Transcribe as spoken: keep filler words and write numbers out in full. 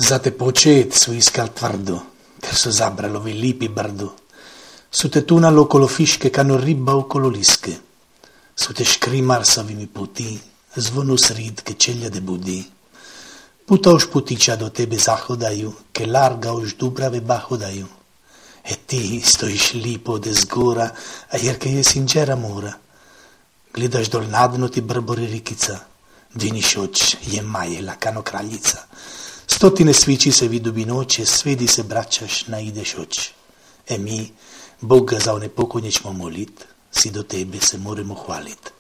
za te počet su iskal tvrdo, ter su zabralovi lipi brdo. Su te tunal okolo fiške, kano riba okolo liske. Su te škrimar savimi puti, zvonu srid, ke čelja de budi. Puta už putića do tebe zahodaju, ke larga už dubrave bahodaju. E ti stojiš lipo ode zgora, a jer ke je sinđera mora. Gledaš dol nadno ti brbori rikica, dviniš oč, je majela kano kraljica. Stotine svići se vidu bi noće, svedi se braćaš, naideš oč. E mi, Boga za one pokonje ćemo molit, si do tebe se moramo hvalit.